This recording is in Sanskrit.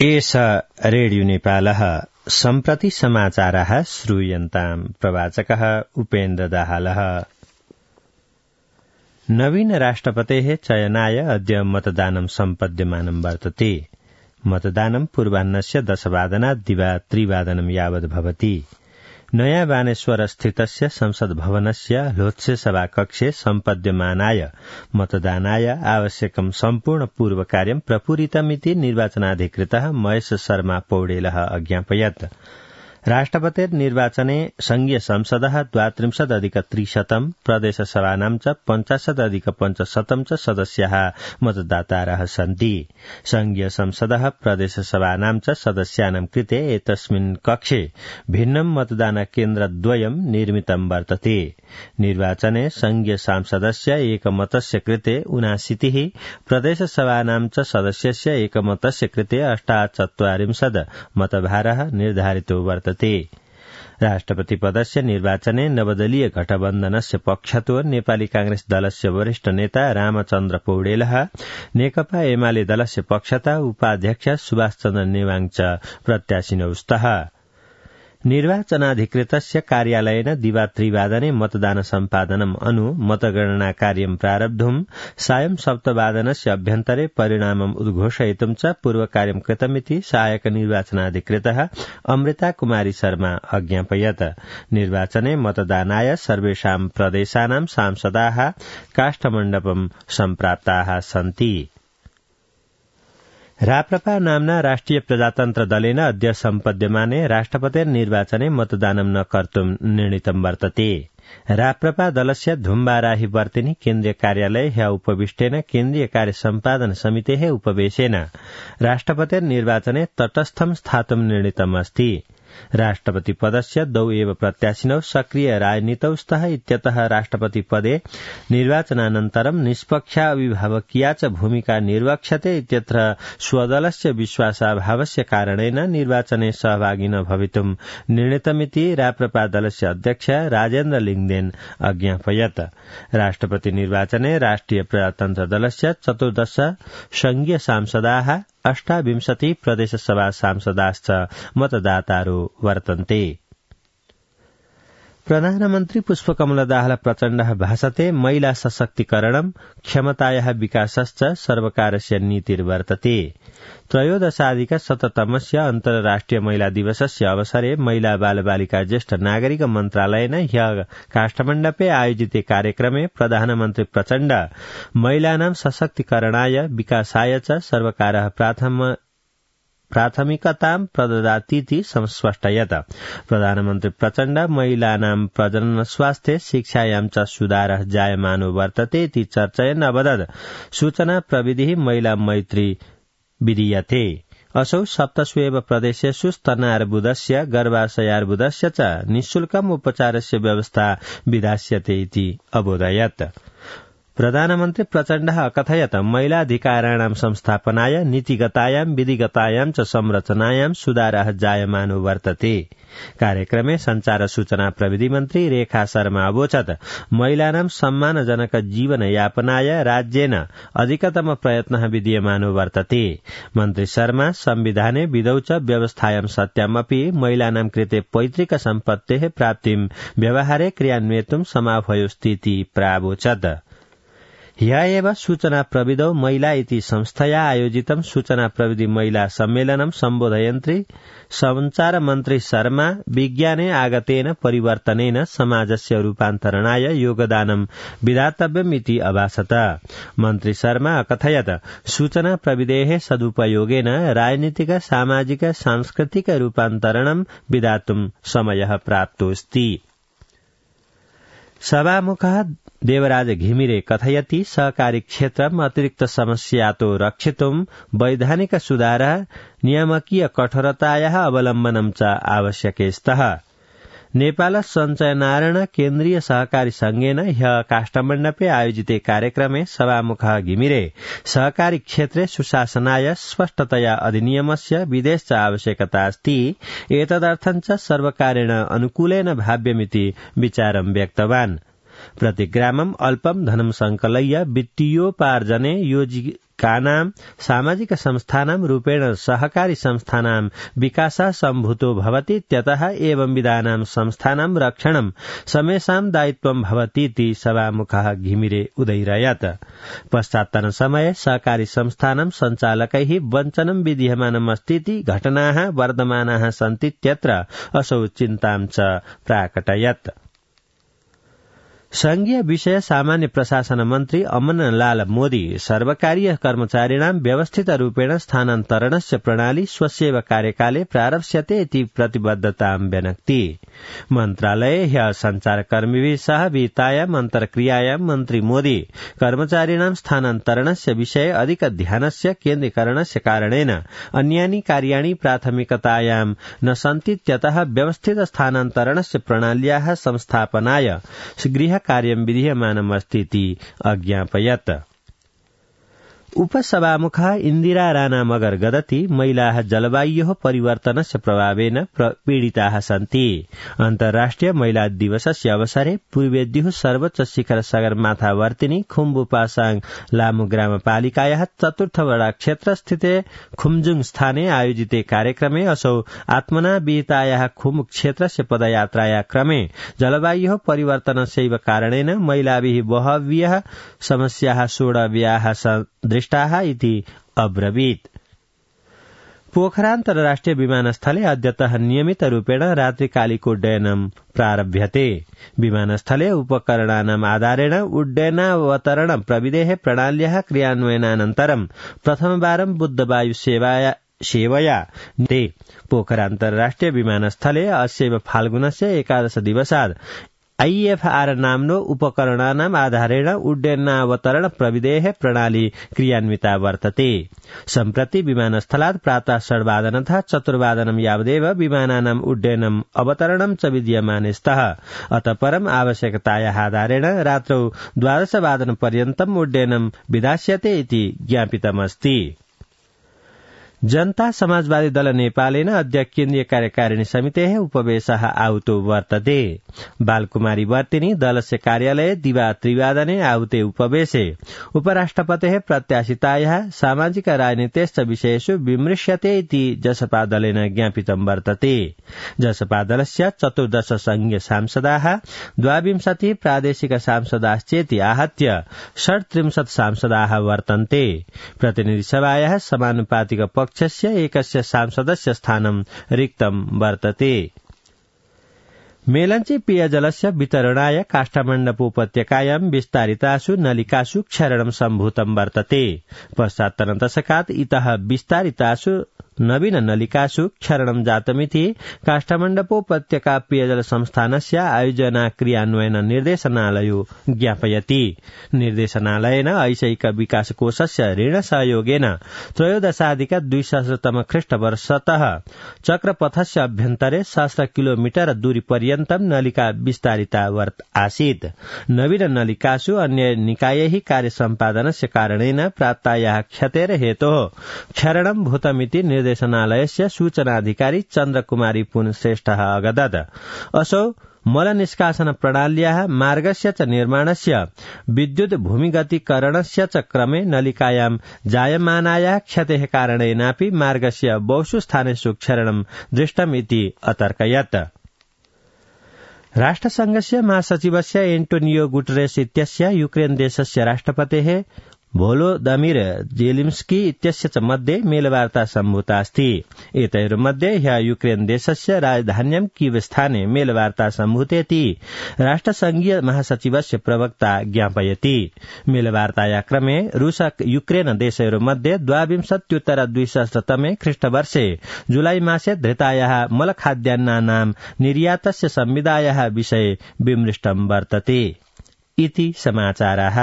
एष रेडियो नेपालः सम्प्रति समाचारः श्रूयन्ताम् प्रवाचकः उपेन्द्र दाहालः। नवीन राष्ट्रपतेः चयनाय अद्य मतदानं सम्पद्यमानं वर्तते। मतदानं पूर्वाह्नस्य 10:00 दिवा 3:00 यावत् भवति। नयाँ बानेश्वर स्थितस्य संसद भवनस्य लोत्से सभाकक्षे सम्पद्यमानाय मतदानाय आवश्यकं सम्पूर्ण पूर्वकार्यं प्रपूरितमिति निर्वाचनाधिकृतः महेश शर्मा पौडेलः अज्ञापयत्। राष्ट्रपतिर्निर्वाचने संघीय संसदः 32+300 प्रदेशसभानां च 50+500 च सदस्याः मतदातारः सन्ति। संघीय संसदः प्रदेशसभानां च सदस्यानां कृते एतस्मिन् कक्षे भिन्नं मतदानकेन्द्रद्वयं निर्मितं वर्तते। निर्वाचने संघीय सांसदस्य एकमतस्य कृते 79, प्रदेशसभानां च सदस्यस्य एकमतस्य कृते 48 मतभारः निर्धारितो वर्तते। राष्ट्रपति पदस्य निर्वाचने नवदलीय गठबन्धनस्य पक्षतो नेपाली कांग्रेस दलस्य वरिष्ठ नेता रामचन्द्र पौडेलः, नेकपा एमाले दलस्य पक्षता उपाध्यक्ष सुभाष चन्द्र नेवाङ च प्रत्याशिनौ स्तः। निर्वाचनाधिकृतस्य कार्यालयेन दिवा 3:00 मतदान सम्पादनम् अनु मतगणना कार्यं प्रारब्धुम् सायं 7:00 अभ्यन्तरे परिणामम् उद्घोषयितुं च पूर्वकार्यं कृतमिति सहायक निर्वाचनाधिकृतः अमृता कुमारी शर्मा अज्ञापयत्। निर्वाचने मतदानाय सर्वेषां प्रदेशानां सांसदाः काष्ठमण्डपं सम्प्राप्ताः सन्ति। राप्रपा नाम्ना राष्ट्रिय प्रजातन्त्र दलेन अद्य सम्पद्यमाने राष्ट्रपतिर्निर्वाचने मतदानं न कर्तुं निर्णीतं वर्तते। राप्रपा दलस्य धुम्बाराही वर्तिनी केन्द्रीय कार्यालय ह्य उपविष्टेन केन्द्रीय कार्य सम्पादन समितेः उपवेशेन राष्ट्रपतिर्निर्वाचने तटस्थं स्थातुं निर्णीतमस्ति। राष्ट्रपति पदस्य 2 एव प्रत्याशिनौ सक्रिय राजनीतौ स्तः इत्यतः राष्ट्रपति पदे निर्वाचनानन्तरं निष्पक्षा अभिभावकीया च भूमिका निर्वक्ष्यते इत्यत्र स्वदलस्य विश्वासाभावस्य कारणेन निर्वाचने सहभागी न भवितुं निर्णीतमिति राप्रपा दलस्य अध्यक्ष राजेन्द्र लिङदेन अज्ञापयत्। राष्ट्रपति निर्वाचने राष्ट्रिय प्रजातन्त्र दलस्य 14 संघीय सांसदाः 28 प्रदेशसभा सांसदाश्च मतदातारो वर्तन्ते। प्रधानमन्त्री पुष्पकमल दाहाल प्रचण्डः भाषते महिला सशक्तिकरणं क्षमतायाः विकासश्च सर्वकारस्य नीतिर्वर्तते। 13अधिक-शततमस्य अन्तर्राष्ट्रिय महिला दिवसस्य अवसरे महिला बालबालिका ज्येष्ठ नागरिक मन्त्रालयेन ह्यः काष्ठमण्डपे आयोजिते कार्यक्रमे प्रधानमन्त्री प्रचण्ड महिलानां सशक्तिकरणाय विकासाय च सर्वकारः प्राथमिकतां प्रददातीति संस्पष्टयत्। प्रधानमन्त्री प्रचण्ड महिलानां प्रजनन स्वास्थ्य शिक्षायां च सुधारः जायमानो वर्तते इति चर्चयन् अवदत् सूचना प्रविधिः महिला मैत्री विधीयते। असौ 7 प्रदेशेषु स्तनार्बुदस्य गर्भाशयार्बुदस्य च निःशुल्कम् उपचारस्य व्यवस्था विधास्यते इति अबोधयत्। प्रधानमन्त्री प्रचण्डः अकथयत् महिलाधिकाराणां संस्थापनाय नीतिगतायां विधिगतायां च संरचनायां सुधारः जायमानो वर्तते। कार्यक्रमे संचार सूचना प्रविधि मन्त्री रेखा शर्मा अवोचत् महिलानां सम्मानजनक जीवनयापनाय राज्येन अधिकतम प्रयत्नः विधीयमानो वर्तते। मन्त्री शर्मा संविधाने विधौ च व्यवस्थायां सत्यामपि महिलानां कृते पैतृक सम्पत्तेः प्राप्तिं व्यवहारे क्रियान्वयितुं समाह्वयोस्तीति प्रावोचत्। ह्यः एव सूचना प्रविधौ महिला इति संस्थया आयोजितं सूचना प्रविधि महिला सम्मेलनं सम्बोधयन्त्री संचार मन्त्री शर्मा विज्ञाने आगतेन परिवर्तनेन समाजस्य रूपान्तरणाय योगदानं विधातव्यमिति अभाषत। मन्त्री शर्मा अकथयत् सूचना प्रविधेः सदुपयोगेन राजनीतिक सामाजिक सांस्कृतिक रूपान्तरणं विधातुं समयः प्राप्तोऽस्ति। सभामुखः देवराज घिमिरे कथयति सहकारी क्षेत्रम् अतिरिक्त समस्यातो रक्षितुं वैधानिक सुधारः नियामकीय कठोरतायाः अवलम्बनं च आवश्यके स्तः। नेपाल सञ्चयनारायण केन्द्रीय सहकारी संघेन ह्यः काष्ठमण्डपे आयोजिते कार्यक्रमे सभामुखः घिमिरे सहकारी क्षेत्रे सुशासनाय स्पष्टतया अधिनियमस्य विधेश्च आवश्यकता अस्ति एतदर्थं च सर्वकारेण अनुकूलेन भाव्यमिति विचारं व्यक्तवान्। प्रतिग्रामम् अल्पं धनं संकलय्य वित्तीयोपार्जने सामाजिकानां सामाजिक संस्थानां रूपेण सहकारी संस्थानां विकासः सम्भूतो भवति इत्यतः एवं विधानां संस्थानां रक्षणं समेषां दायित्वं भवतीति सभामुखः घिमिरे उदैरयत्। पश्चात्तन समये सहकारी संस्थानां सञ्चालकैः वञ्चनं विधीयमानमस्तीति घटनाः वर्धमानाः सन्तीत्यत्र असौ चिन्तां च प्राकटयत्। संघीय विषय सामान्य प्रशासन मन्त्री अमनलाल मोदी सर्वकारीय कर्मचारिणां व्यवस्थित रूपेण स्थानान्तरणस्य प्रणाली स्वस्यैव कार्यकाले प्रारप्स्यते इति प्रतिबद्धतां व्यनक्ति। मन्त्रालये ह्यः सञ्चारकर्मिभिः सह विहितायाम् अन्तर्क्रियायां मन्त्री मोदी कर्मचारिणां स्थानान्तरणस्य विषये अधिक ध्यानस्य केन्द्रीकरणस्य कारणेन अन्यानि कार्याणि प्राथमिकतायां न सन्तीत्यतः व्यवस्थित स्थानान्तरणस्य प्रणाल्याः संस्थापनाय गृह कार्यं विधीयमानमस्तीति अज्ञापयत्। उपसभामुखः इन्दिरा राणा मगर गदति महिलाः जलवायोः परिवर्तनस्य प्रभावेन पीडिताः सन्ति। अन्तर्राष्ट्रिय महिला दिवसस्य अवसरे पूर्वेद्युः सर्वोच्च शिखर सगरमाथावर्तिनी खुम्बु पासाङ लामु ग्रामपालिकायाः चतुर्थ वडा क्षेत्रस्थिते खुम्जुङ स्थाने आयोजिते कार्यक्रमे असौ आत्मना विहितायाः खुम्बु क्षेत्रस्य पदयात्राया क्रमे जलवायोः परिवर्तनस्यैव कारणेन महिलाभिः बहव्यः समस्याः सोढव्याः दृष्टाः इति अब्रवीत्। पोखरा अन्तर्राष्ट्रिय विमानस्थले अद्यतः नियमित रूपेण रात्रिकालिक उड्डयनं प्रारभ्यते। विमानस्थले उपकरणानाम् आधारेण उड्डयनावतरण प्रविधेः प्रणाल्याः क्रियान्वयनानन्तरं प्रथमवारं बुद्धवायु सेवया ते पोखरा अन्तर्राष्ट्रिय विमानस्थले अस्यैव फाल्गुनस्य 11 दिवसात् IFR नाम्नो उपकरणानाम् आधारेण उड्डयनावतरण प्रविधेः प्रणाली क्रियान्विता वर्तते। सम्प्रति विमानस्थलात् प्रातः 8:30तः 4:00 यावदेव विमानानाम् उड्डयनम् अवतरणं च विद्यमाने स्तः। अतः परम् आवश्यकतायाः आधारेण रात्रौ 12:00 पर्यन्तम् उड्डयनं विधास्यते इति ज्ञापितमस्ति। जनता समाजवादी दल नेपालेन अद्य केन्द्रीय कार्यकारिणी समितेः उपवेशः आहुतो वर्तते। बालकुमारी वर्तिनी दलस्य कार्यालये दिवा 3:00 आहुते उपवेशे उपराष्ट्रपतेः प्रत्याशितायाः सामाजिक राजनीतेश्च विषयेषु विमृश्यते इति जसपा दलेन ज्ञापितं वर्तते। जसपा दलस्य 14 संघीय सांसदाः 22 प्रादेशिक सांसदाश्चेति आहत्य 37 सांसदाः वर्तन्ते। प्रतिनिधिसभायाः समानुपातिक पक्षस्य एकस्य सांसदस्य स्थानं रिक्तं वर्तते। मेलञ्ची पेयजलस्य वितरणाय काष्ठमण्डपोपत्यकायां विस्तारितासु नलिकासु क्षरणं सम्भूतं वर्तते। पश्चात्तरदशकात् इतः विस्तारितासु नवीन नलिकासु क्षरणं जातमिति काष्ठमण्डपोपत्यका पेयजल संस्थानस्य आयोजना क्रियान्वयन निर्देशनालयो ज्ञापयति। निर्देशनालयेन ऐशैक विकास कोषस्य ऋण सहयोगेन 13,200 ख्रीष्टवर्षतः चक्रपथस्य अभ्यन्तरे 1,000 किलोमीटर दूरी पर्यन्तं नलिका विस्तारिता आसीत्। नवीन नलिकासु अन्य निकायैः कार्य सम्पादनस्य कारणेन प्राप्तायाः क्षतेर हेतोः क्षरणं भूतमिति निर्देशनालयस्य सूचनाधिकारी चन्द्रकुमारी पुन श्रेष्ठः अगदत्। असौ मल निष्कासन प्रणाल्याः मार्गस्य च निर्माणस्य विद्युत भूमिगतीकरणस्य च क्रमे नलिकायां जायमानायाः क्षतेः कारणेनापि मार्गस्य बहुषु स्थानेषु क्षरणं दृष्टम् इति अतर्कयत्। राष्ट्रसंघस्य महासचिवस्य एन्टोनियो गुटेरेस इत्यस्य युक्रेन देशस्य राष्ट्रपतेः वोलोदिमिर जेलेन्स्की इत्यस्य च मध्ये मेलवार्ता सम्भूता अस्ति। एतयोर्मध्ये ह्यः युक्रेन देशस्य राजधान्यां कीव स्थाने मेलवार्ता सम्भूतेति राष्ट्रसंघीय महासचिवस्य प्रवक्ता ज्ञापयति। मेलवार्ताया क्रमे रूस युक्रेन देशयोर्मध्ये 22,200 ख्रीष्टवर्षे जुलाई मासे धृतायाः मलखाद्यान्नानां निर्यातस्य संविदायाः विषये विमृष्टं वर्तते इति समाचाराः।